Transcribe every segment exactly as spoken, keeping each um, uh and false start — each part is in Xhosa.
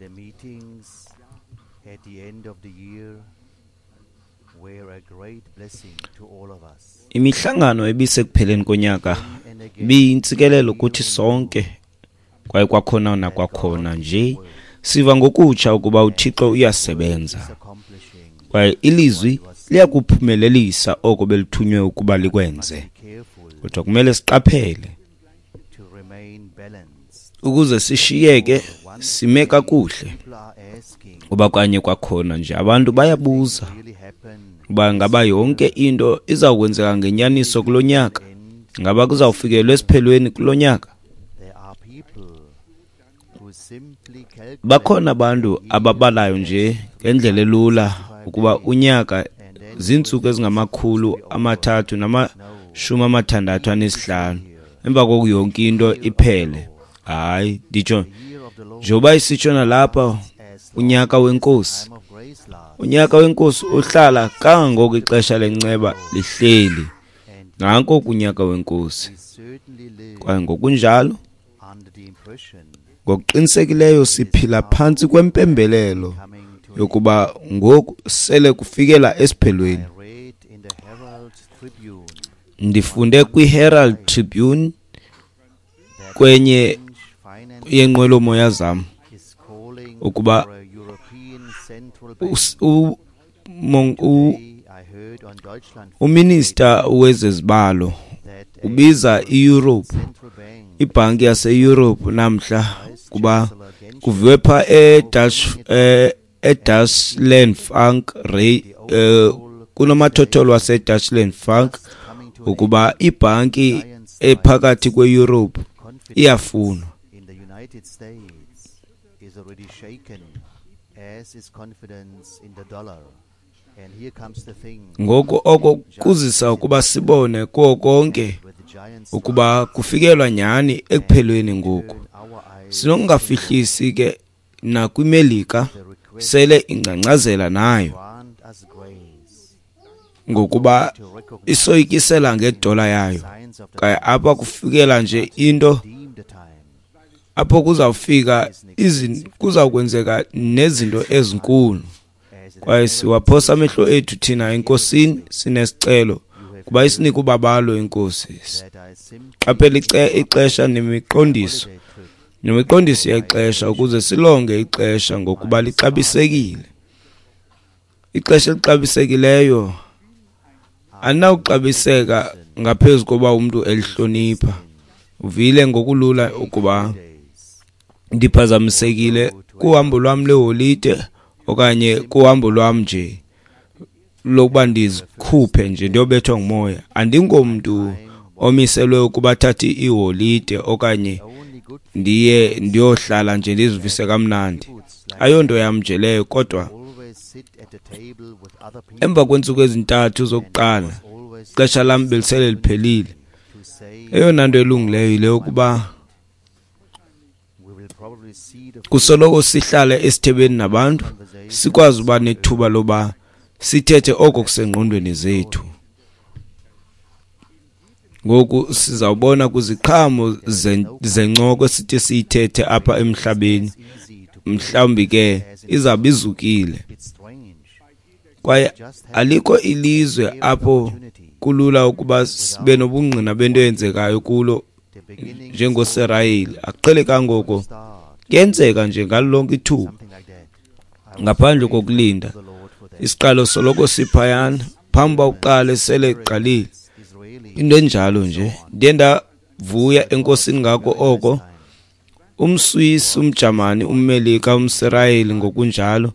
The meetings at the end of the year were a great blessing to all of us. Imihlangano ebisekupheleni konyaka And again, ibiyintsikelelo kuthi sonke, kwaye kwakhona nakwakhona nje siva ngokutsha ukuba uThixo uyasebenza is accomplishing. kwaye ilizwi liyakuphumelelisa oko belithunywe ukuba likwenze. Be careful Kodwa kumele siqaphele to remain balanced. ukuze sishiyeke sime kakuhle, People are asking, kuba kanye kwakhona nje abantu bayabuza really happen uba ngaba yonke into izawukwenzeka ngenyaniso kulo nyaka, end? ngaba kuzawufikelwa esiphelweni kulo nyaka. There are people who simply calculate Bakhona abantu ababalayo nje ngendlela elula ukuba unyaka ziintsuku ezingamakhulu amathathu namashumi amathandathu anesihlanu, emva koku yonke into iphele. Hayi, nditsho the year of the Lord njengoba isitsho nalapha as unyaka wenkosi. time of grace lasts, Unyaka wenkosi uhlala kangangoko ixesha lenceba lihleli. and Nanko kunyaka wenkosi. we certainly live Kwaye ngokunjalo under the impression ngokuqinisekileyo siphila phantsi kwempembelelo coming to an yokuba ngoku sele kufikela esiphelweni. I read in the Herald Tribune Ndifunde kwiHerald Tribune that kwenye French finance yenqwelomoya zam is calling ukuba for a European Central Bank. us- u- mon- u- Today I heard on Deutschland uminista wezezibalo that a ubiza iEurope, central bank ibhanki yaseEurope namhla Vice kuba Chancellor Genscher kuviwe pha eDutch eh, eDutchland Frank Ray eh, kunomathotholo waseDutchland Frank coming to an ukuba ibhanki ephakathi kweEurope confidence iyafunwa. in the United States is already shaken, as is confidence in the dollar. And here comes the thing Ngoku oko kuzisa ukuba sibone kuwo konke with the giant ukuba kufikelwa nyhani ekuphelweni ngoku. turn our eyes Sinokungafihlisi ke nakwiMelika the request sele ingcangcazela nayo grant us grace ngokuba to recognize isoyikisela ngedola yayo. signs of the Kwaye apha kufikela nje into deem the time apho kuzawufika izin kuzawukwenzeka nezinto ezinkulu. as it Kwaye siwaphosa amehlo ethu thina enkosini sinesicelo kuba isinike ubabalo inkosi. that I simply Qaphela ice- ixesha nemiqondiso holiday trip nemiqondiso yexesha ukuze silonge ixesha ngokuba lixabisekile. Ixesha elixabisekileyo alinawuxabiseka ngaphezu koba umntu elihlonipha. Uvile ngokulula ukuba days ndiphazamisekile kuhambo lwam leholide okanye kuhambo lwam nje lokuba ndizikhuphe nje ndiyobethwa ngumoya. Andingomntu omiselwe ukuba athathe iholide okanye only good ndiye ndiyohlala nje ndizivise kamnandi. foods like Ayonto yam nje leyo, kodwa always sit at the table with other people emva kweentsuku ezintathu zokuqala always ixesha lam belisele liphelile. to say Eyona nto elungileyo yile yokuba we will probably see the kusoloko sihlale esithebeni nabantu sikwazi uba nethuba loba sithethe oko kusengqondweni zethu. Ngoku sizawubona kwiziqhamo zen- zencoko esithi siyithethe apha emhlabeni, easy to mhlawumbi ke izawube izukile. it's strange Kwaye alikho ilizwe apho kulula ukuba sibe nobungqina bento eyenzekayo kulo the beginning njengoSirayeli. Akuqhelekanga oko, start kuyenzeka nje ngalo lonke ithuba something like that I was ngaphandle kokulinda. the Lord for that Isiqalo soloko siphayana phambi uba uqale sele iqalile. Israeli Into enjalo nje ndiye ndavuya enkosini ngako oko. UmSwisi, umJamani, umMelika, umSirayeli ngokunjalo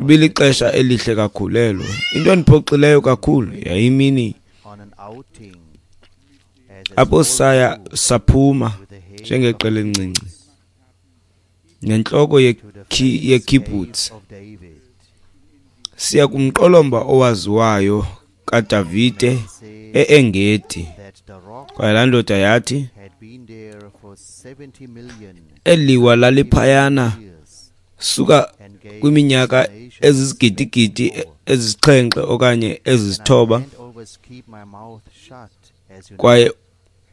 ibilixesha elihle kakhulu elo. Into endiphoxileyo kakhulu yayimini on an outing as a apho small saya group saphuma with the head njengeqela elincinci nentloko to the yekhi- famous yekibbutz cave of David. siya kumqolomba owaziwayo kaDavide Said e-Engedi. that the rock Kwaye laa ndoda yathi had been there for seventy million eli liwa laliphayana years suka and gave kwiminyaka explanations ezizigidigidi ezisixhenxe okanye And I ezisithoba can't always keep my mouth shut, as you know. kwaye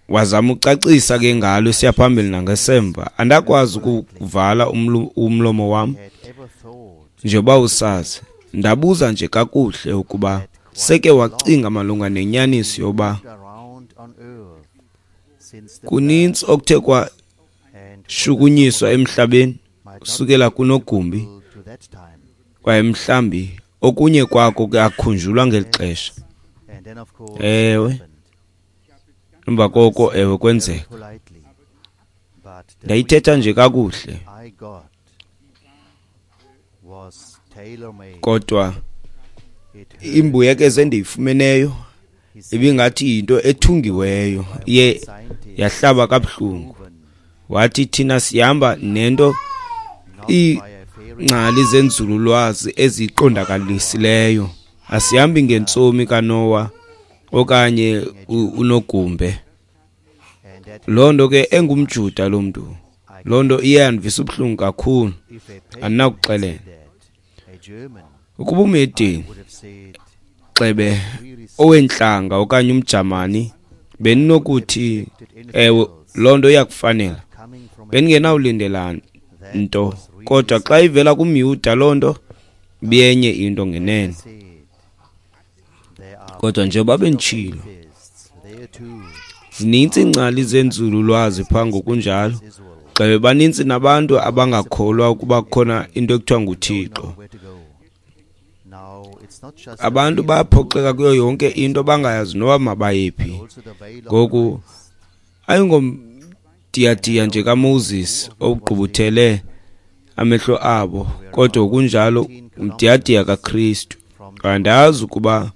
Wazama ucacisa ke ngalo esiya phambili nangasemva. Andakwazi ukuvala umlomo wam njengoba usazi. Ndabuza nje kakuhle ukuba seke wacinga malunga nenyaniso yoba kuninzi okuthe kwashukunyiswa emhlabeni kusukela kunogumbi, kwaye mhlambi okunye kwako kuyakhunjulwa ngeli xesha. Ewe, emva koko ewe kwenzeka. Ndayithetha nje kakuhle, kodwa imbuyekezo endiyifumeneyo ibingathi yinto ethungiweyo, iye yahlaba kabuhlungu. Wathi thina sihamba nento iingcali zenzululwazi eziqondakalisileyo, asihambi ngentsomi kaNoah okanye unogumbe. Loo nto ke engumJuda lo mntu, loo nto iye yandivisa ubuhlungu kakhulu, andinakuxelela. Ukuba umhedeni xebe owentlanga okanye umJamani, bendinokuthi ewe loo nto iyakufanela, bendingenawulindela nto. Kodwa xa ivela kumYuda loo nto ibiyenye into ngenene. Kodwa njengoba benditshilo, zinintsi iingcali zenzululwazi phaa ngokunjalo, gxebe banintsi nabantu abangakholwa ukuba kukhona into ekuthiwa nguThixo. Abantu bayaphoxeka kuyo yonke into bangayazi noba mabayephi. Ngoku ayingomdiyadiya nje kaMoses ogqubuthele amehlo abo, kodwa kunjalo umdiyadiya kaKristu. Andazi ukuba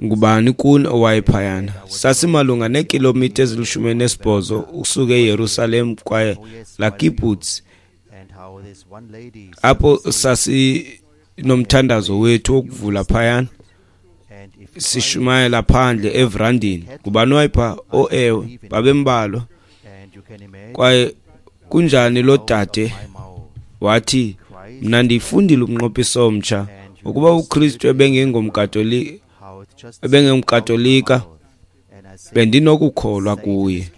ngubani kuni owayephayana. Sasimalunga neekhilomitha ezilishumi elinesibhozo ukusuka eYerusalem kwaye laa kibbutz apho sasinomthandazo wethu wokuvula phayana, sishumayela phandle everandini. Ngubani owayepha? Oh ewe, babembalwa. Kwaye kunjani lo dade wathi, mna ndiyifundile umnqophiso omtsha, ukuba uKristu ebengengomKatolika, ebengengomKatolika bendinokukholwa kuye.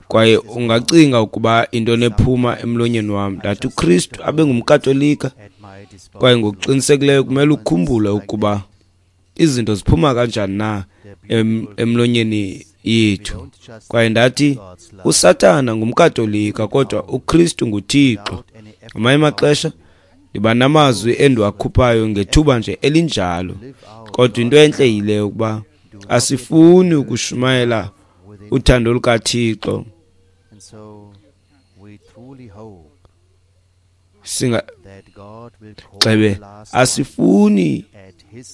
Kwaye ungacinga ukuba into nephuma emlonyeni wam. Ndathi uKristu abengumKatolika, kwaye ngokuqinisekileyo kumele ukhumbule ukuba izinto ziphuma kanjani na em, emlonyeni yethu. Kwaye ndathi uSathana ngumKatolika, kodwa uKristu nguThixo. Ngamanye amaxesha ndiba namazwi endiwakhuphayo ngethuba nje elinjalo, kodwa into entle yile ukuba asifuni ukushumayela uthando lukaThixo. Singa xebe asifuni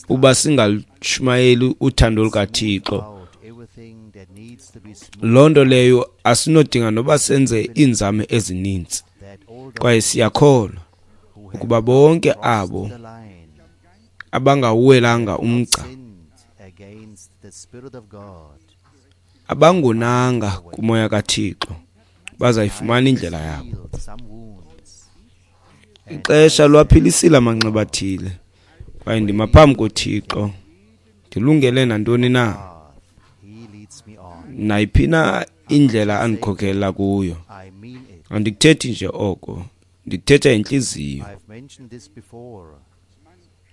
uba singalushumayeli uthando lukaThixo. Loo nto leyo asinodinga noba senze iinzame ezininzi, kwaye siyakholwa ukuba bonke abo abangawuwelanga umgca, abangonanga kumoya kaThixo, bazayifumana indlela yabo. Ixesha lwaphilisile amanxeba athile, kwaye ndima phambi koThixo ndilungele nantoni na, nayiphi na indlela andikhokelela kuyo. Andikuthethi nje oko, ndikuthetha intliziyo.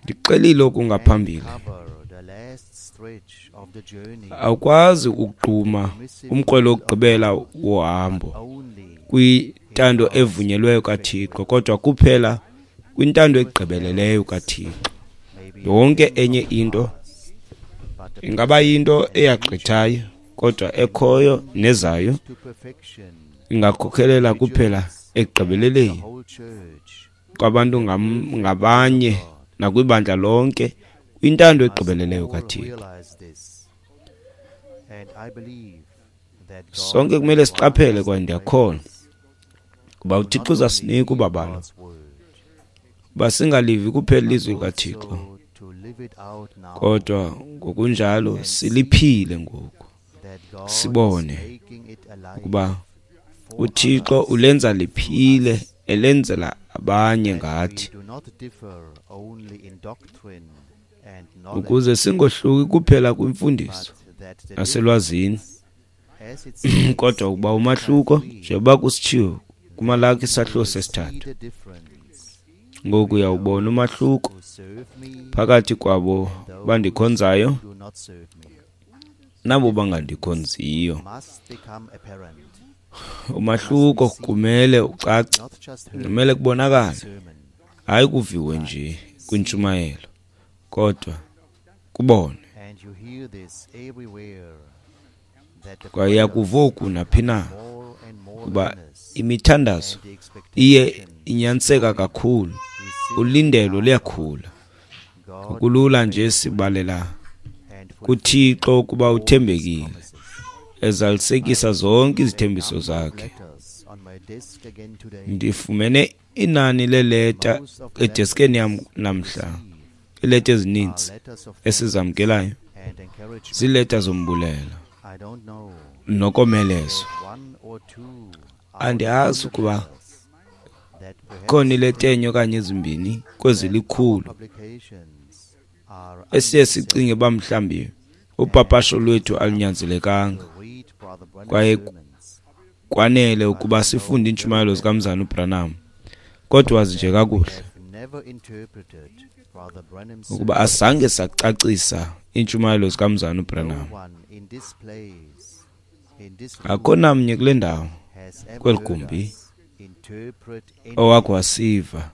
Ndixelile oku ngaphambili, awukwazi ukugquma umkrwelo wokugqibela wohambo kwintando evunyelweyo kaThixo, kodwa kuphela kwintando egqibeleleyo kaThixo. Yonke enye into ingaba yinto eyagqithayo, kodwa ekhoyo nezayo ingakhokhelela kuphela ekugqibeleleni kwabantu ngabanye nakwibandla lonke kwintando egqibeleleyo kaThixo. Sonke kumele siqaphele, kwaye ndiyakholwa kuba uThixo uzasinika ubabalo uba singalivi kuphela ilizwi likaThixo, kodwa ngokunjalo siliphile ngoku, sibone ukuba uThixo ulenza liphile, elenzela abanye ngathi, ukuze singohluki kuphela kwimfundiso naselwazini, Kodwa ukuba umahluko, njengoba kusitshiwo kuMalaki isahluko sesithathu, ngoku uyawubona umahluko phakathi kwabo bandikhonzayo nabo bangandikhonziyo. Umahluko kumele ucace, kumele kubonakale, hayi kuviwe nje kwintshumayelo, kodwa kubonwe. Kwaye uyakuva oku naphi na ukuba imithandazo iye inyaniseka kakhulu, ulindelo luyakhula. Kulula nje sibalela kuThixo ukuba uthembekile, ezalisekisa zonke izithembiso zakhe. Ndifumene inani leeleta edeskeni yam namhla, iileta ezininzi esizamkelayo ziileta zombulelo nokomelezwa. Andiyazi ukuba khona ileta enye okanye ezimbini kwezilikhulu esiye sicinge uba mhlawumbi upapasho lwethu alunyanzelekanga kwaye kwanele ukuba sifunde iintshumayelo zikaMzalwana uBranham, kodwa wazi nje kakuhle ukuba asange sacacisa iintshumayelo zikaMzalwana uBranham. Akho namnye kule ndawo, kweli gumbi, owakhe wasiva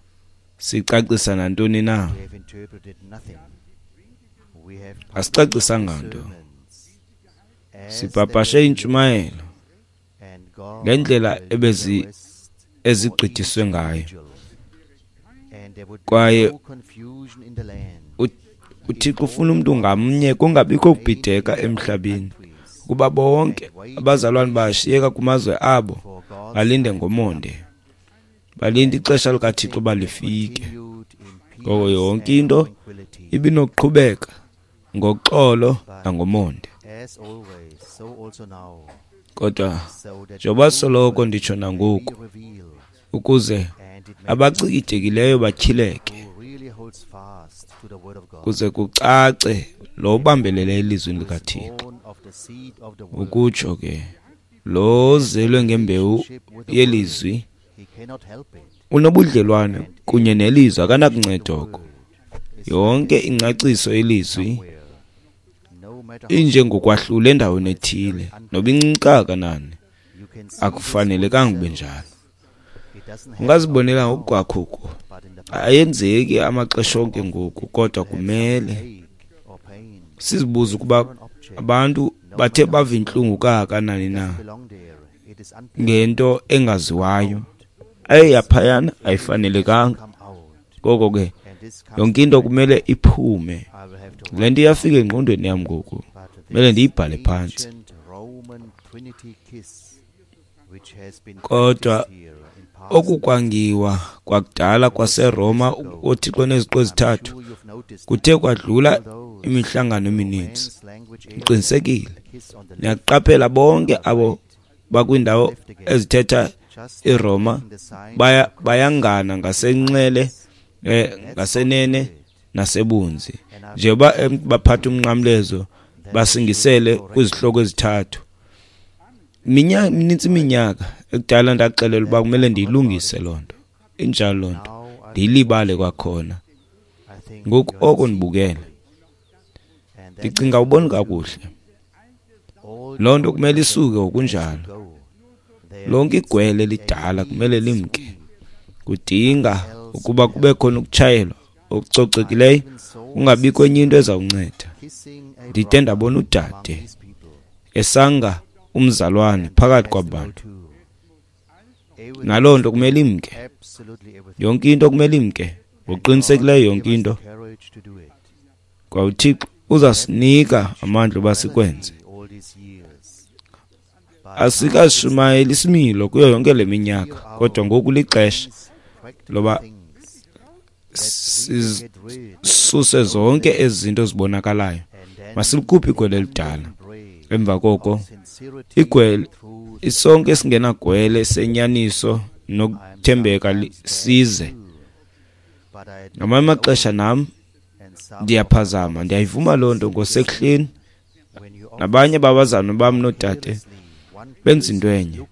sicacisa nantoni na. Asicacisanga nto, sipapashe iintshumayelo ngendlela ebezi ezigqithiswe ngayo, kwaye uThixo ufuna umntu ngamnye kungabikho kubhideka emhlabeni, kuba bonke abazalwane bashiyeka kumazwe abo balinde ngomonde, balinde ixesha likaThixo uba lifike. Ngoko yonke into ibinokuqhubeka ngoxolo nangomonde. Kodwa njengoba soloko nditsho nangoku, ukuze abacikidekileyo batyhileke, kuze kucace lo ubambelele elizwini likaThixo. Ukutsho ke, lo ozelwe ngembewu yelizwi unobudlelwane kunye nelizwi, akanakunceda oko. Yonke ingcaciso yelizwi injengokwahlula endaweni ethile, noba incinci kangakanani, akufanelekanga kube njalo. Ungazibonela ngokukwakho oku. Ayenzeki amaxesha onke ngoku, kodwa kumele sizibuze ukuba abantu bathe bava intlungu kangakanani na ngento engaziwayo. Ayiyaphayana, ayifanelekanga. Ngoko ke yonke into kumele iphume. Le nto iyafika engqondweni yam ngoku, kumele ndiyibhale phantsi. Kodwa okukwangiwa kwakudala kwaseRoma ooThixo neziqu ezithathu kuthe kwadlula imihlangano emininzi. Ndiqinisekile niyaqaphela bonke abo bakwiindawo ezithetha iRoma baya bayangana ngasenxele, eh, ngasenene nasebunzi, njengoba baphatha umnqamlezo basingisele kwizihloko ezithathu. Minyaka minintsi iminyaka ekudala ndaxelela uba kumele ndiyilungise loo nto. Injalo loo nto, ndiyilibale kwakhona. Ngoku oko ndibukele, ndicinga uboni kakuhle. Loo nto kumele isuke ngokunjalo. Lonke igwele lidala kumele limke. Kudinga ukuba kube khona ukutshayelwa okucocekileyo, kungabikho enye into ezawunceda. Ndide ndabona udade esanga umzalwane phakathi kwabantu. Naloo nto kumele imke. Yonke into kumele imke. Ngokuqinisekileyo yonke into. Kwa uThixo uzasinika amandla uba sikwenze. Asikashumayeli isimilo kuyo yonke le minyaka, kodwa ngoku lixesha loba sisuse zonke ezi zinto zibonakalayo. Masilikhuphe igwele elidala. Emva koko igwele isonke esingenagwele senyaniso nokuthembeka size. Ngamanye amaxesha nam ndiyaphazama, ndiyayivuma loo nto ngosekuhleni. Nabanye babazalwane bam noodade Benza into enye.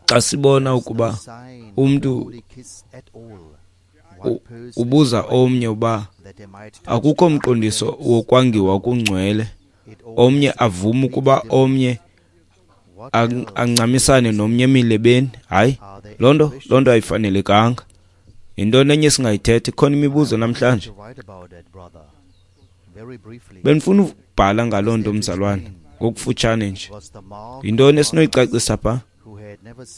Xa sibona ukuba umntu ubuza omnye uba akukho mqondiso wokwangiwa okungcwele, omnye avume ukuba omnye ancamisane nomnye emilebeni, hayi, loo nto loo nto ayifanelekanga. Yintoni enye esingayithetha? Ikhona imibuzo namhlanje. Bendifuna ukubhala ngaloo nto, mzalwane, ngokufutshane nje. Yintoni esinoyicacisa pha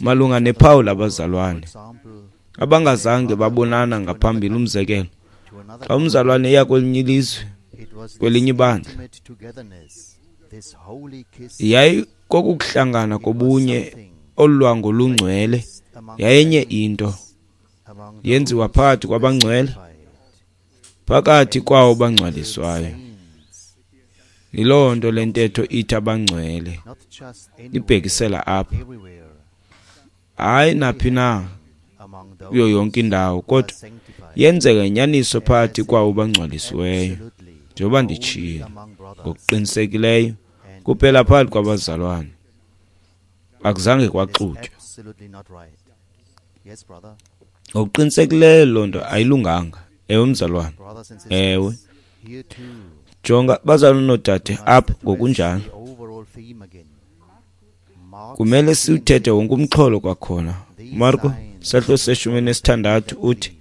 malunga nephawu labazalwane abangazange babonana ngaphambili? Umzekelo, xa umzalwane eya kwelinye ilizwe, kwelinye ibandla, yayikokuhlangana kobunye olwango lungcwele, yayenye into yenziwa phakathi kwabangcwele, phakathi kwawo bangcwaliswayo. Yiloo nto le ntetho ithi abangcwele ibhekisela apha, hayi naphi na kuyo yonke indawo, kodwa yenzeka inyaniso phakathi kwawo bangcwalisiweyo. Njengoba nditshilo, ngokuqinisekileyo kuphela phakathi kwabazalwane akuzange kwaxutywa. Ngokuqinisekileyo loo nto ayilunganga. Ewe, mzalwane, ewe. Jonga, bazalwane noodade, apha ngokunjalo kumele siwuthethe wonke umxholo kwakhona. Marko sahluko seshumi nesithandathu uthi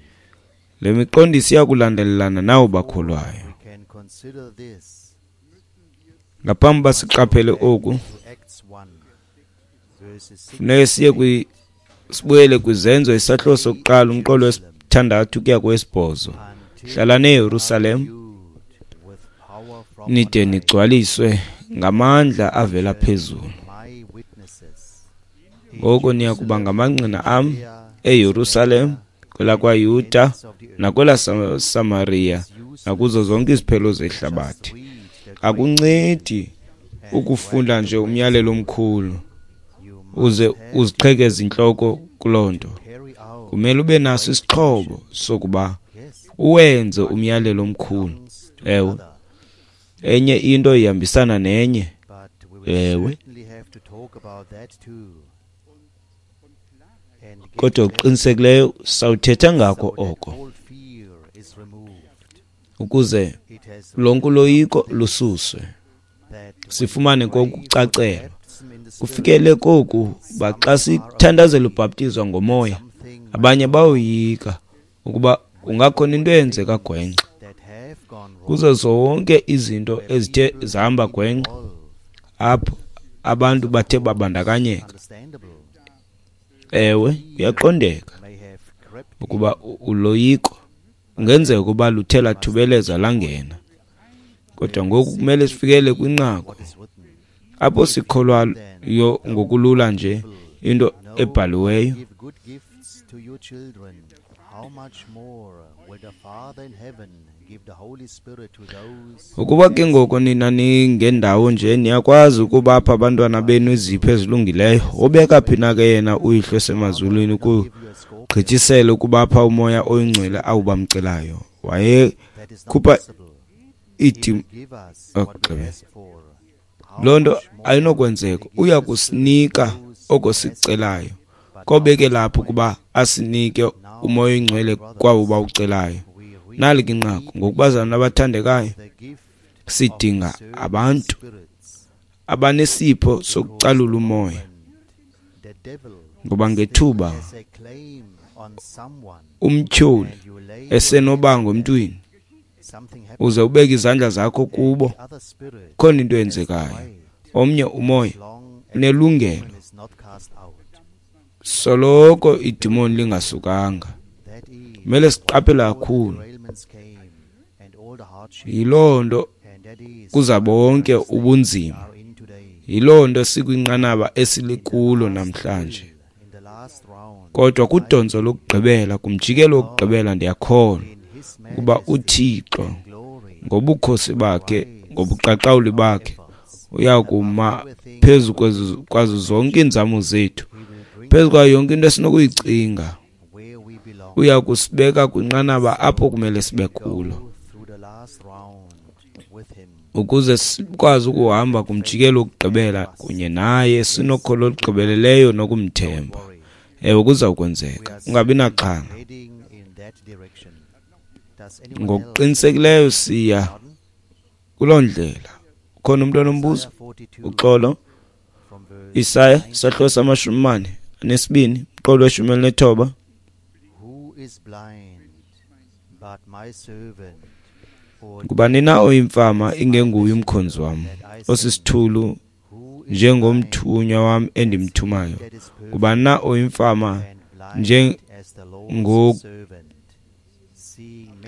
le miqondiso iyakulandelelana nawo bakholwayo. Ngaphambi uba siqaphele oku, funeke siye kwi sibuyele kwiZenzo isahluko sokuqala umqolo wesithandathu kuya kowesibhozo. Hlalani eYerusalem nide nigcwaliswe ngamandla avela phezulu. Ngoko niya kuba ngamangqina am eYerusalem, kwelakwaYuda nakwelaSamariya nakuzo zonke iziphelo zehlabathi. Akuncedi ukufunda nje umyalelo omkhulu uze uziqhekeze intloko kuloo nto. Kumele ube naso isixhobo sokuba uwenze umyalelo omkhulu. Ewe, enye into ihambisana nenye. Ewe, kodwa okuqinisekileyo sawuthetha ngako oko ukuze lonke uloyiko lususwe, sifumane kokucacelwa. Kufikele koku uba xa sithandazela ubhaptizwa ngomoya, abanye bayoyika ukuba kungakhona into eyenzeka gwenxa. Kuzo zonke izinto ezithe zahamba gwenxa apho abantu bathe babandakanyeka. Ewe, kuyaqondeka ukuba uloyiko kungenzeka ukuba luthe lathubeleza langena, kodwa ngoku kumele sifikele kwinqaku apho sikholwayo ngokulula nje into ebhaliweyo. Ukuba ke ngoko nina ningendawo nje niyakwazi ukubapha abantwana benu izipho ezilungileyo, wobeka phi na ke yena uYihlo osemazulwini ukugqithisela ukubapha umoya oyingcwele awubamcelayo? Wayekhupha idim loo nto ayinokwenzeka. Uya kusinika oko sikucelayo, kobeke lapho ukuba asinike umoya oyingcwele kwawo bawucelayo. Nali ke inqaku, ngokubazalwana abathandekayo, sidinga abantu abanesipho sokucalula umoya, ngoba ngethuba umtyholi esenobango emntwini, uze ubeke izandla zakho kubo, khona into eyenzekayo. Omnye umoya unelungelo soloko idimoni lingasukanga. Kumele siqaphele kakhulu. Yiloo nto kuza bonke ubunzima. Yiloo nto sikwinqanaba esilikulo namhlanje. Kodwa kudontso lokugqibela, kumjikelo wokugqibela, ndiyakholwa ukuba uThixo ngobukhosi bakhe, ngobuqaqawuli bakhe, uyakuma phezu kwazo zonke iinzamo zethu, phezu kwayo yonke into esinokuyicinga. Uya kusibeka kwinqanaba apho kumele sibe kulo. Ukuze sikwazi ukuhamba kumjikelo wokugqibela kunye naye sinokholo olugqibeleleyo nokumthemba. Ewe, kuza kwenzeka. Ungabi naxhala. Ngokuqinisekileyo siya kuloo ndlela. Ukhona umntu onombuzo? Uxolo. Isaya isahluko samashumi mane anesibini umqolo weshumi elinethoba. Ngubani na oyimfama ingenguye umkhonzi wam, osisithulu njengomthunywa wam endimthumayo? Ngubani na oyimfama njengo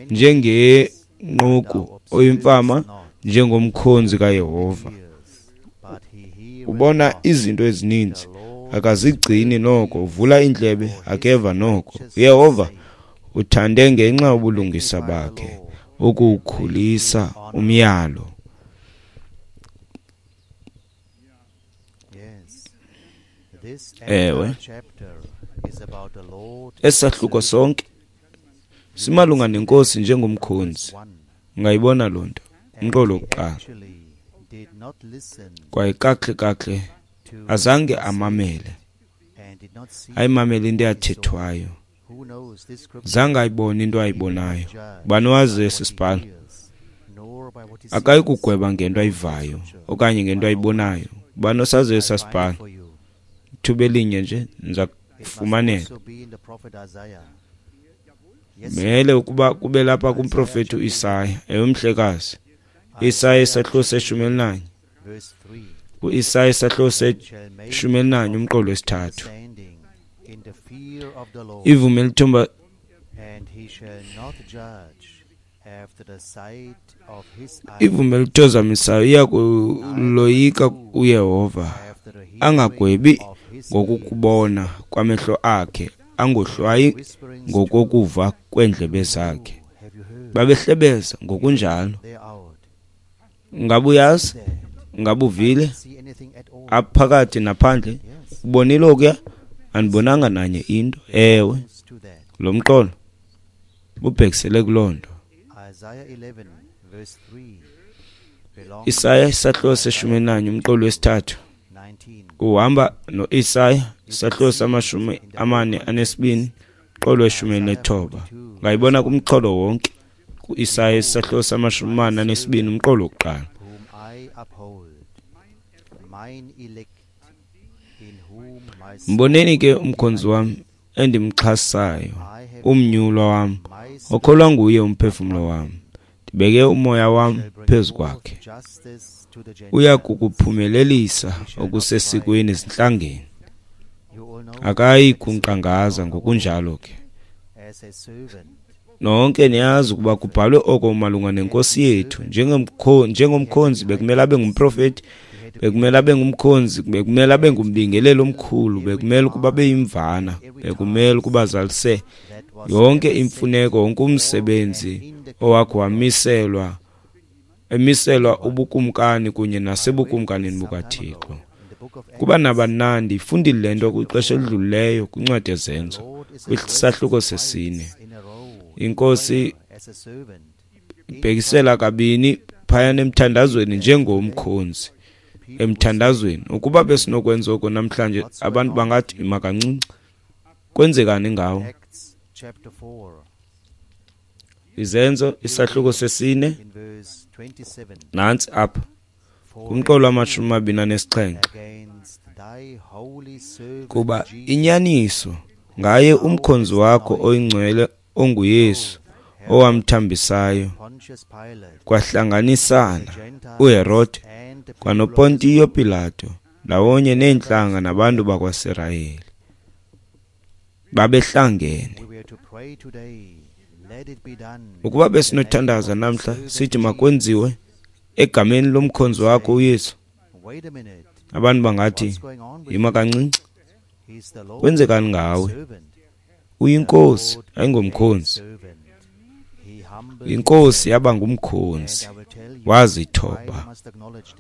njengenquku, oyimfama njengomkhonzi kaYehova? Ubona izinto ezininzi, akazigcini noko, uvula iindlebe, akeva noko. uYehova uthande ngenxa yobulungisa bakhe ukuwukhulisa umyalo. Ewe, esahluko sonke simalunga nenkosi njengomkhonzi. Ungayibona loo nto umqolo wokuqala. Kwaye kakuhle kakuhle azange amamele, ayimamele into eyathethwayo, zange ayibone into ayibonayo. Ubani wazi esi sibhalo? Akayi kugweba ngento ayivayo okanye ngento ayibonayo. Ubani osaziyo esa sibhalo? Ithuba elinye nje ndiza kufumanela. Mele ukuba kube lapha kumprofeti uIsaya. Ewe, mhlekazi. Isaya isahluko seshumi elinanye. UIsaya isahluko seshumi elinanye umqolo wesithathu. Ivume elithomba ivume elithozamisayo iya kuloyika uYehova, angagwebi ngokukubona kwamehlo akhe, angohlwayi ngokokuva kweendlebe zakhe. Babehlebeza ngokunjalo. Ngabe uyazi? Ngabe uvile? Aphakathi naphandle ubonile okuya? Andibonanga nanye into. Ewe, lo mqolo ubhekisele kuloo nto. Isaya isahluko seshumi elinanye umqolo wesithathu uhamba noIsaya isahluko samashumi amane anesibini umqolo weshumi elinethoba. Ungayibona kumxholo wonke kuIsaya isahluko samashumi amane anesibini umqolo wokuqala. Mboneni ke umkhonzi wam endimxhasayo, umnyulwa wam, okholwa nguye umphefumlo wam. Ndibeke umoya wam phezu kwakhe. Uya kukuphumelelisa okusesikweni ezintlangeni. Akayi kunkqangaza ngokunjalo ke. Nonke niyazi ukuba kubhalwe oko malunga nenkosi yethu. Njengomkhonzi bekumele abe ngumprofeti, bekumele abe ngumkhonzi, bekumele abe ngumbingeleli omkhulu, bekumele ukuba abe yimvana, bekumele ukuba azalise yonke imfuneko, wonke umsebenzi owakho wamiselwa, emiselwa ubukumkani kunye nasebukumkanini bukaThixo. Kuba nabani ndiyifundile le nto kwixesha elidlulileyo kwincwadi yeZenzo, kwisahluko sesine. Inkosi ibhekisela kabini phayana emthandazweni njengomkhonzi. Emthandazweni, ukuba besinokwenza oko namhlanje, abantu bangathi ima kancinci. Kwenzekani ngawo? Izenzo isahluko sesine, nantsi apha kumqolo wamashumi amabini anesixhenxe. Kuba inyaniso ngaye umkhonzi wakho oyingcwele onguYesu, owamthambisayo, kwahlanganisana uHerode kwanoPontiyo Pilato ndawonye neentlanga nabantu bakwaSirayeli. Babehlangene. Ukuba besinothandaza namhla sithi makwenziwe egameni lomkhonzi wakho uYesu, abantu bangathi yima kancinci. Kwenzekani ngawe? Uyinkosi, ayingomkhonzi. Inkosi yaba ngumkhonzi, wazithoba.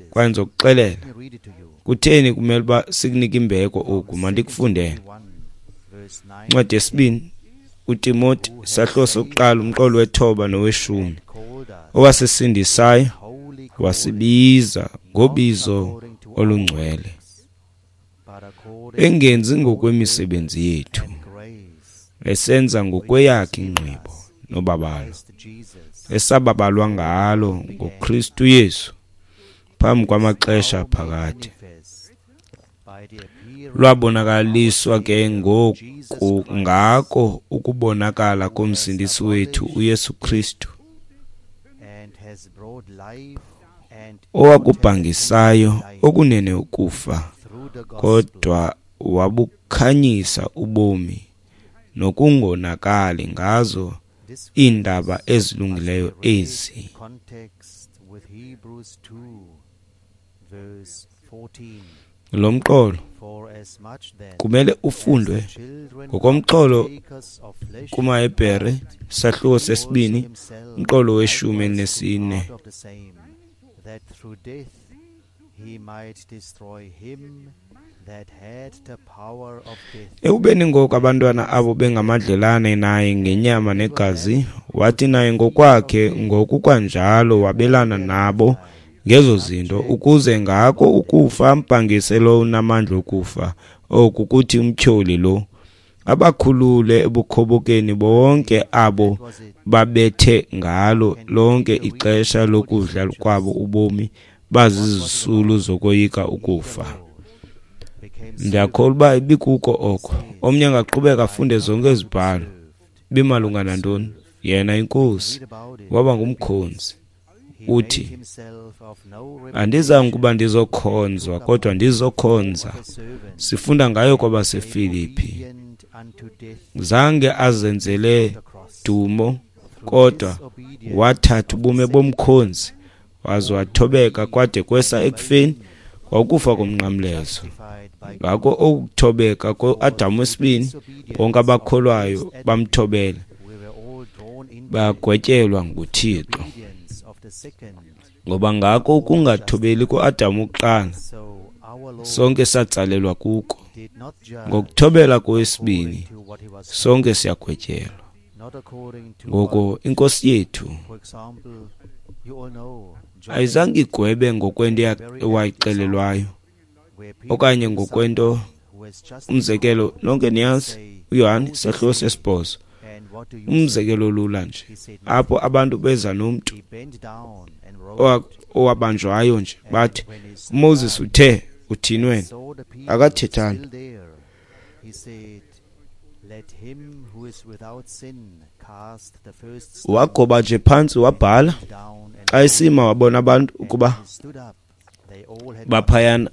Kwaye ndizokuxelela kutheni kumele uba sikunike imbeko oku. Mandikufundele incwadi yesibini uTimoti isahluko sokuqala umqolo wethoba noweshumi. Owasisindisayo wasibiza ngobizo olungcwele, engenzi ngokwemisebenzi yethu, esenza ngokweyakhe ingqibo nobabalo, esababalwa ngalo ngoKristu Yesu phambi kwamaxesha phakade. Lwabonakaliswa ke ngoku ngako ukubonakala koMsindisi wethu uYesu Kristu, owakubhangisayo okunene ukufa, kodwa wabukhanyisa ubomi nokungonakali ngazo iindaba ezilungileyo ezi. Lo mqolo kumele ufundwe ngokomxholo kumaHebhere sahluko sesibini umqolo weshumi elinesine. Ekubeni ngoku abantwana abo bengamadlelane naye ngenyama negazi, wathi naye ngokwakhe ngokukwanjalo wabelana nabo ngezo zinto, ukuze ngako ukufa ambhangise lo unamandla okufa, oku kuthi umtyholi lo, abakhulule ebukhobokeni bonke abo babethe ngalo lonke ixesha lokudla kwabo ubomi bazizisulu zokoyika ukufa. Ndiyakholwa uba ibikuko oko. Omnye angaqhubeka afunde zonke izibhalo. Bimalunga nantoni? Yena iNkosi waba ngumkhonzi. Uthi, andizange ukuba ndizokhonzwa, kodwa ndizokhonza. Sifunda ngayo kwabaseFilipi. Zange azenzele dumo, kodwa wathatha ubume bomkhonzi, waze wathobeka kwade kwesa ekufeni, kwakufa komnqamlezo. Ngako okuthobeka ko-Adamu wesibini, bonke abakholwayo bamthobela, bagwetyelwa nguThixo. Ngoba ngako ukungathobeli ko-Adamu wokuqala, sonke satsalelwa kuko. Ngokuthobela kowesibini, sonke siyagwetyelwa. Ngoko inkosi yethu ayizange igwebe ngokwento ewayixelelwayo okanye ngokwento. Umzekelo, nonke niyazi uYohane sahluko sesibhozo, umzekelo olula nje, apho abantu beza nomntu owabanjwayo nje, bathi uMoses uthe uthini wena? Akathethanga. Wagoba nje phantsi wabhala. Xa esima wabona abantu ukuba baphayana,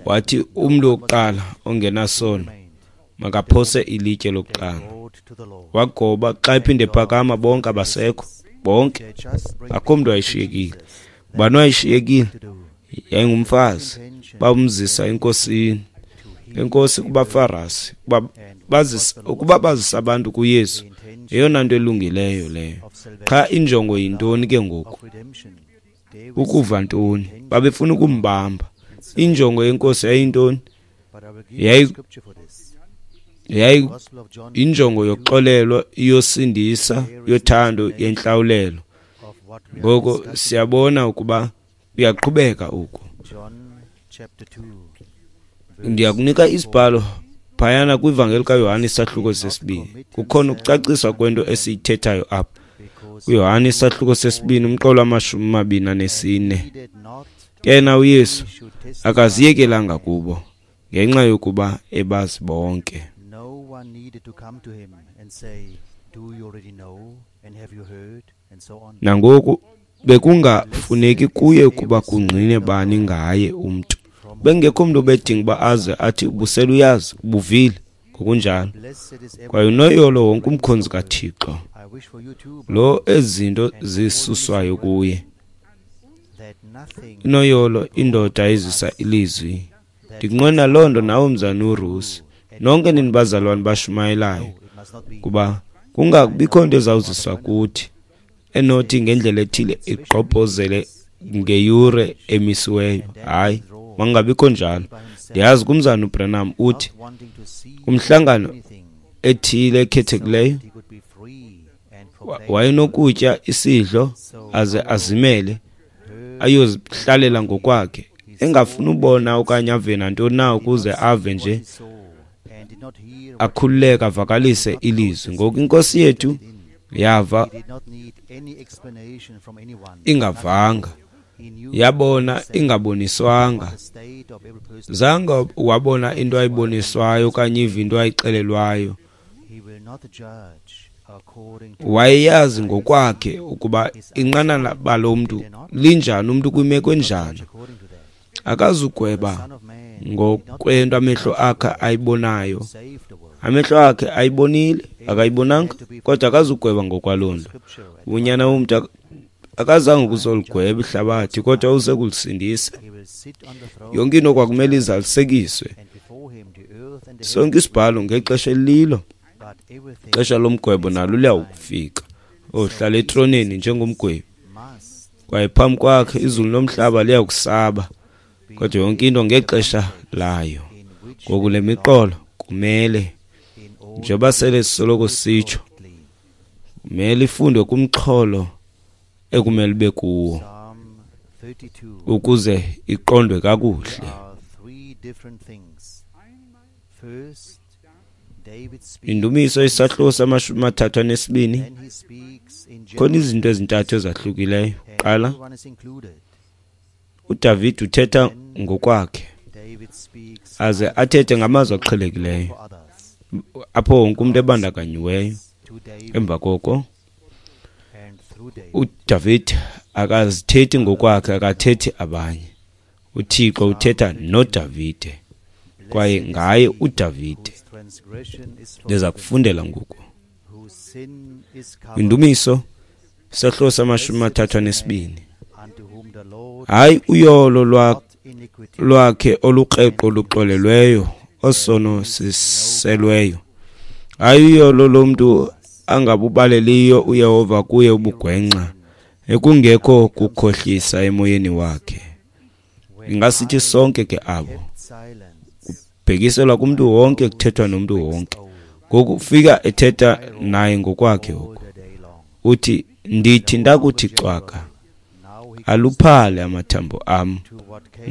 wathi umntu wokuqala ongenasono makaphose ilitye lokuqala. Wagoba, xa ephinde phakama bonke abasekho, bonke, akho mntu wayeshiyekile. Ubani wayeshiyekile? Yayingumfazi. Bamzisa enkosini, enkosi kubaFarasi, bazisa ukuba bazisa abantu kuYesu. Yeyona nto elungileyo leyo. Qha injongo yintoni ke ngoku? Ukuva ntoni? Babefuna ukumbamba. Injongo yenkosi yayintoni? Yayi yayi injongo yokuxolelwa, yosindisa, yothando, yentlawulelo. Ngoko siyabona ukuba uyaqhubeka oku. Ndiyakunika isibhalo phayana kwivangeli kaYohane isahluko sesibini. Kukhona ukucaciswa kwento esiyithethayo apha. UYohane isahluko sesibini umqolo wamashumi amabini anesine. Ke na uYesu akaziyekelanga kubo ngenxa yokuba ebazi bonke. Nangoku bekungafuneki kuye ukuba kungqine bani ngaye umntu. Bengekho mntu obedinga uba aze athi ubusele uyazi, ubuvile, ngokunjalo. Kwaye unoyolo wonke umkhonzi kaThixo lo ezinto zisuswayo kuye. Inoyolo indoda ezisa ilizwi. Ndikunqwena loo nto nawe mzana uRusi, nonke nini bazalwane bashumayelayo, kuba kungabikho nto ezawuziswa kuthi enothi ngendlela ethile igqobhozele ngeyure emisiweyo. Hayi, makungabikho njalo. Ndiyazi kumzana uBranham uthi kumhlangano ethile ekhethekileyo wayenokutya isidlo aze azimele ayozihlalela ngokwakhe, engafuni ubona okanye ave nantoni na ukuze ave nje akhululeke avakalise ilizwi. Ngoku inkosi yethu yava ingavanga, yabona ingaboniswanga. Zange wabona into ayiboniswayo okanye iva into ayixelelwayo. Wayeyazi ngokwakhe ukuba inqanaba lomntu linjani, umntu kwimeko enjani. Akazugweba ngokwento amehlo akhe ayibonayo. Amehlo akhe ayibonile, akayibonanga, kodwa akazugweba ngokwaloo nto. Unyana womntu akazange ukuzoligweba ihlabathi, kodwa uze kulisindisa. Yonke into kwakumele izalisekiswe. Sonke isibhalo ngexesha elilo, ixesha lomgwebo nalo liyawufika. Ohlala etroneni njengomgwebi, kwaye phambi kwakhe izulu nomhlaba liyakusaba, kodwa yonke into ngexesha layo. Ngoku le miqolo kumele, njengoba sele sisoloko sitsho, kumele ifundwe kumxholo ekumele ube kuwo ukuze iqondwe kakuhle. Indumiso isahluko samashumi amathathu anesibini, khona izinto ezintathu ezahlukileyo. Qala, uDavid uthetha ngokwakhe, aze athethe ngamazwi aqhelekileyo apho wonke umuntu ebandakanyiweyo. Emva koko uDavid akazithethi ngokwakhe, akathethi abanye. UThixo uthetha noDavide, kwaye ngaye uDavide. Ndiza kufundela ngoku Indumiso isahluko samashumi amathathu anesibini. Hayi uyolo lwakhe olukreqo luxolelweyo, osono siselweyo. Hayi uyolo lomntu angabubaleliyo uYehova kuye ubugwenxa, ekungekho kukhohlisa emoyeni wakhe. Ingasithi sonke ke abo, kubhekiselwa kumntu wonke, kuthethwa nomntu wonke. Ngoku ufika ethetha naye ngokwakhe oku. Uthi, ndithi ndakuthi cwaka, aluphale amathambo am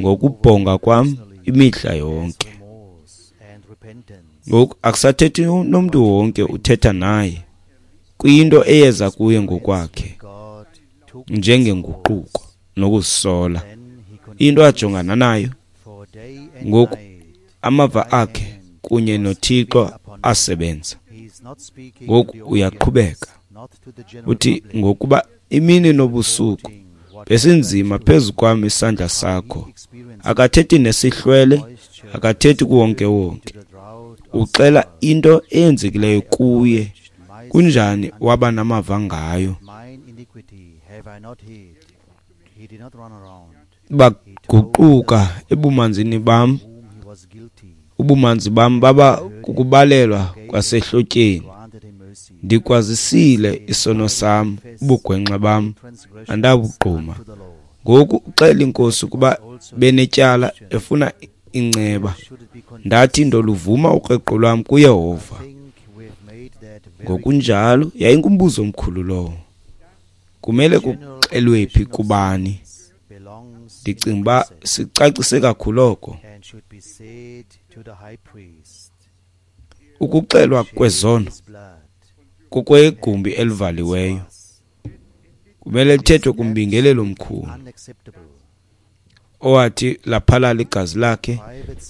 ngokubhonga kwam imihla yonke. Ngoku akusathethi nomntu wonke, uthetha naye kuyinto eyeza kuye ngokwakhe njengenguquko nokuzisola, into ajongana nayo ngoku. Amava akhe kunye noThixo asebenza. Ngoku uyaqhubeka uthi, ngokuba imini nobusuku besinzima phezu kwam isandla sakho. Akathethi nesihlwele, akathethi kuwonke wonke. Uxela into eyenzekileyo kuye, kunjani waba namava ngayo. Baguquka ebumanzini bam, ubumanzi bam baba kukubalelwa kwasehlotyeni. Ndikwazisile isono sam, ubugwenxa bam andabugquma. Ngoku uxela inkosi ukuba benetyala, efuna inceba. Ndathi ndoluvuma ukreqo lwam kuYehova. Ngokunjalo yayingumbuzo omkhulu lowo. Kumele kuxelwe phi kubani? Ndicinga uba sicacise kakhulu oko. Ukuxelwa kwezono kukwegumbi elivaliweyo, kumele lithethwe kumbingelelo omkhulu owathi laphalala igazi lakhe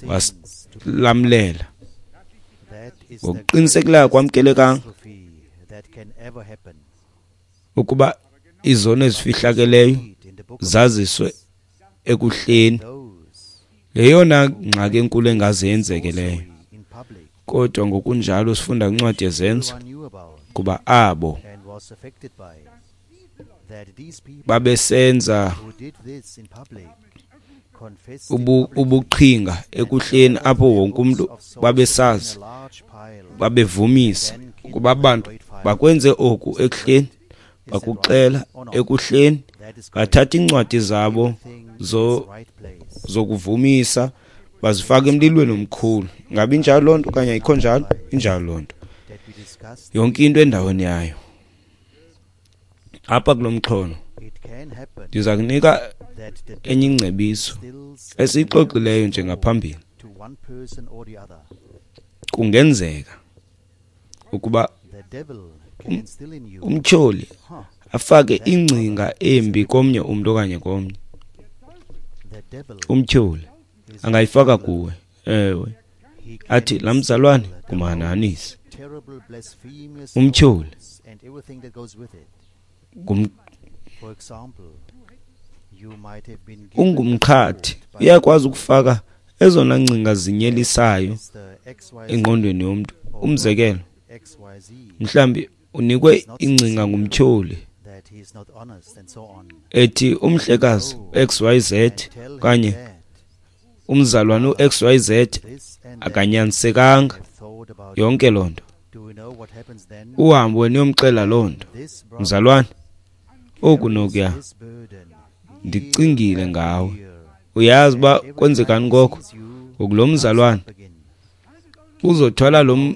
wasilamlela. Ngokuqinisekileyo kwamkelekanga ukuba izono ezifihlakeleyo zaziswe ekuhleni. Yeyona ngxaki enkulu engaze yenzeke leyo. Kodwa ngokunjalo sifunda kwincwadi yeZenzo kuba abo babesenza ubu, ubuqhinga ekuhleni apho wonke umuntu babesazi, babevumisa ukuba abantu bakwenze oku ekuhleni, bakuxela ekuhleni, bathatha iincwadi zabo zo zokuvumisa bazifaka emlilweni omkhulu. Ngabe injalo loo nto okanye ayikho njalo? Injalo loo nto. Yonke into endaweni yayo. Apha kulo mxholo ndiza kunika enye ingcebiso esiyixoxileyo nje ngaphambili. Kungenzeka ukuba umtyholi afake ingcinga embi komnye umntu okanye komnye. Umtyholi angayifaka kuwe, ewe, athi laa mzalwane ngumhanahanisi. Umtyholi ungumqhathi, uyakwazi ukufaka ezona ngcinga zinyelisayo engqondweni yomntu. Umzekelo, mhlawumbi unikwe ingcinga ngumtyholi ethi umhlekazi X Y Z okanye umzalwane u-X Y Z akanyanisekanga, yonke loo nto. Uhambe wena uyomxela loo nto, mzalwane, oku nokuya, ndicingile ngawe. Uyazi uba kwenzekani ngoko? Ngoku lo mzalwane uzothwala lo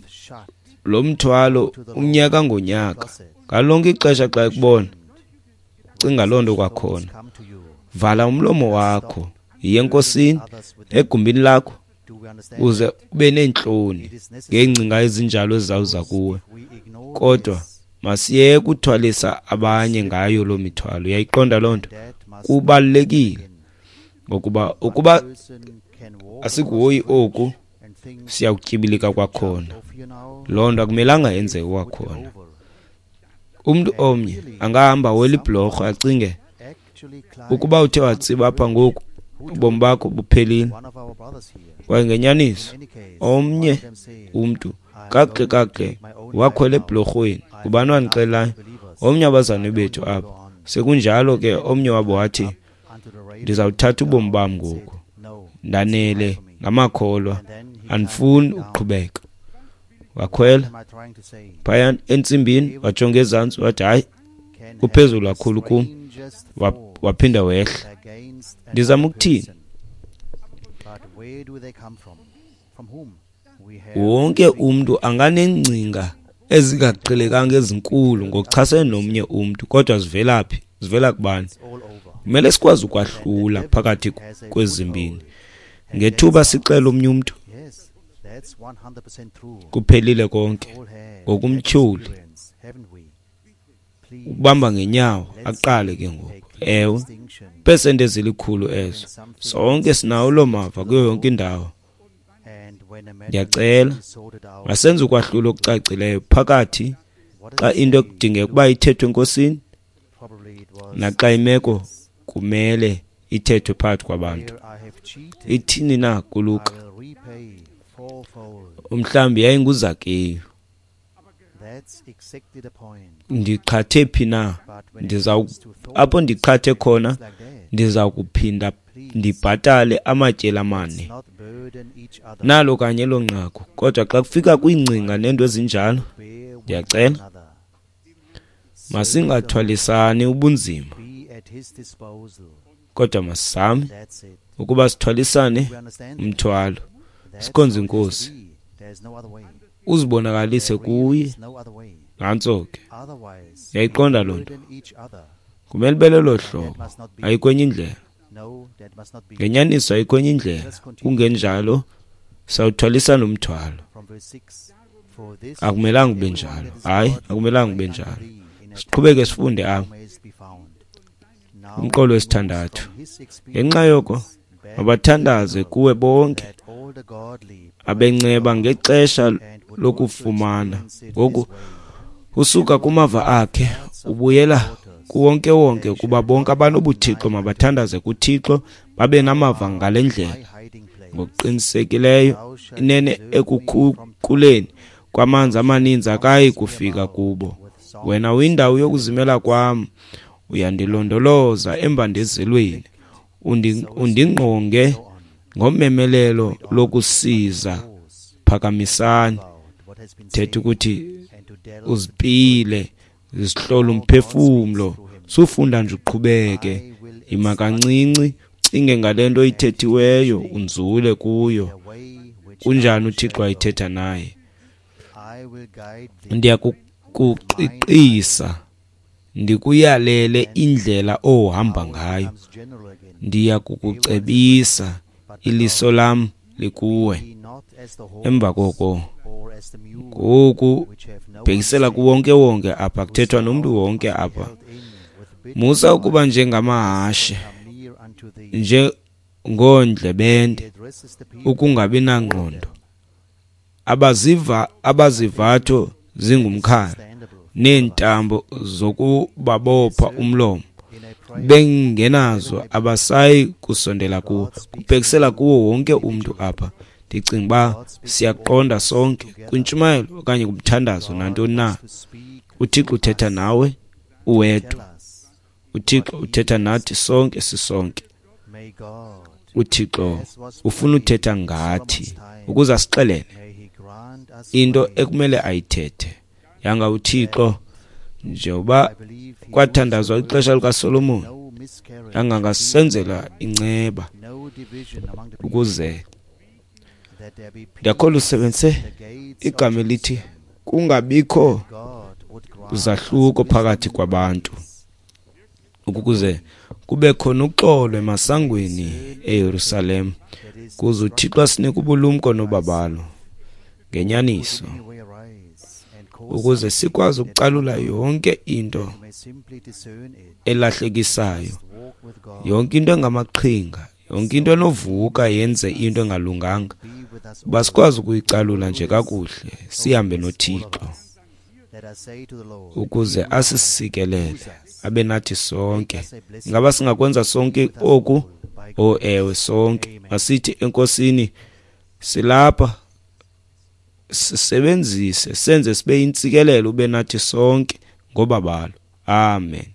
lo mthwalo umnyaka ngonyaka. Ngalo lonke ixesha xa ekubona, cinga loo nto kwakhona. Vala umlomo wakho, yiye enkosini egumbini lakho, uze ube neentloni ngeengcinga ezinjalo ezizawuza kuwe. Kodwa masiyeke uthwalisa abanye ngayo loo mithwalo. Uyayiqonda loo nto? Kubalulekile, ngokuba ukuba asikuhoyi oku, siyakutyibilika kwakhona. Loo nto akumelanga yenzeke kwakhona. Umntu omnye angahamba wela ibhlorho acinge ukuba uthe watsiba apha ngoku, ubomi bakho buphelile. Kwaye ngenyaniso omnye umntu kakuhle kakuhle wakhwela ebhlorhweni. Ngubani wandixelayo? Omnye abazalwane bethu apha. Sekunjalo ke omnye wabo wathi, ndizawuthatha ubomi bam ngoku, ndanele ngamakholwa, andifuni ukuqhubeka. Wakhwela phaya entsimbini, wajonga ezantsi, wathi hayi, kuphezulu kakhulu kum. Waphinda wehla. Ndizama ukuthini? Wonke umntu anganeengcinga ezingaqhelekanga ezinkulu ngokuchasene nomnye umntu, kodwa zivela phi? Zivela kubani? Kumele sikwazi ukwahlula phakathi kwezimbini. Ngethuba sixela omnye umntu, kuphelile konke. Ngokumtyholi ukubamba ngenyawo aqale ke ngoku. Ewe, pesenti ezilikhulu ezo. Sonke sinawo loo mava kuyo yonke indawo. Ndiyacela masenze ukwahlulo okucacileyo phakathi xa into ekudingeka ukuba ithethwe enkosini naxa imeko kumele ithethwe phakathi kwabantu. Ithini na kuLuka? Umhlawumbi yayinguZakeyu. Ndiqhathe phi na? Ndiza apho ndiqhathe khona, ndiza kuphinda ndibhatale amatyeli amane. Nalo kanye elo nqaku. Kodwa xa kufika kwiingcinga neento ezinjalo, ndiyacela masingathwalisani ubunzima, kodwa masizame ukuba sithwalisane umthwalo, sikhonze iNkosi. Uzibonakalise kuye. Nantso ke. Yayiqonda loo nto. Kumele ibe lelo hlobo, ayikho enye indlela. Ngenyaniso ayikho enye indlela. Kungenjalo sawuthwalisana umthwalo. Akumelanga ube njalo. Hayi, akumelanga ube njalo. Siqhubeke sifunde apha. Umqolo wesithandathu. Ngenxa yoko mabathandaze kuwe bonke abenceba ngexesha lokufumana. Ngoku usuka kumava akhe ubuyela kuwonke wonke, ukuba bonke abanobuthixo mabathandaze kuThixo, babe namava ngale ndlela. Ngokuqinisekileyo inene ekukhukuleni kwamanzi amaninzi akayi kufika kubo. Wena uyindawo yokuzimela kwam, uyandilondoloza embandezelweni, undingqonge ngomemelelo lokusiza. Phakamisani. Thetha ukuthi uzipile, zihlola umphefumlo, sufunda nje uqhubeke, ima kancinci, ucinge ngale nto ithethiweyo, unzule kuyo. Kunjani uThixo ayithetha naye? Ndiyakukuqiqisa Ndikuyalele indlela ohamba ngayo, ndiya kukucebisa, iliso lam likuwe. Emva koko ngoku bhekisela kuwonke wonke apha, kuthethwa nomntu wonke apha. Musa ukuba njengamahashe, njengoondlebende, ukungabi nangqondo, abaziva abazivatho zingumkhala neentambo zokubabopha umlomo, bengenazo abasayi kusondela kuwo. Kubhekisela kuwo wonke umntu apha. Ndicinga uba siyaqonda sonke kwintshumayelo okanye kumthandazo nantoni na. UThixo uthetha nawe uwedwa. UThixo uthetha nathi sonke sisonke. UThixo ufuna uthetha ngathi ukuze asixelele into ekumele ayithethe. Yanga uThixo, njengoba kwathandazwa ixesha likaSolomon, yanga angasenzela inceba ukuze ndiyakholwa usebenzise igama elithi kungabikho zahluko phakathi kwabantu, ukuze kube khona uxolo emasangweni eYerusalem, kuze uThixo asinike ubulumko nobabalo ngenyaniso, ukuze sikwazi ukucalula yonke into elahlekisayo, yonke into engamaqhinga, yonke into enovuka yenze into engalunganga, uba sikwazi ukuyicalula nje kakuhle, sihambe noThixo ukuze asisikelele abe nathi sonke. Ingaba singakwenza sonke oku? Oh ewe, sonke. Masithi eNkosini, silapha, sisebenzise, senze sibe yintsikelelo, ube nathi sonke ngobabalo. Amen.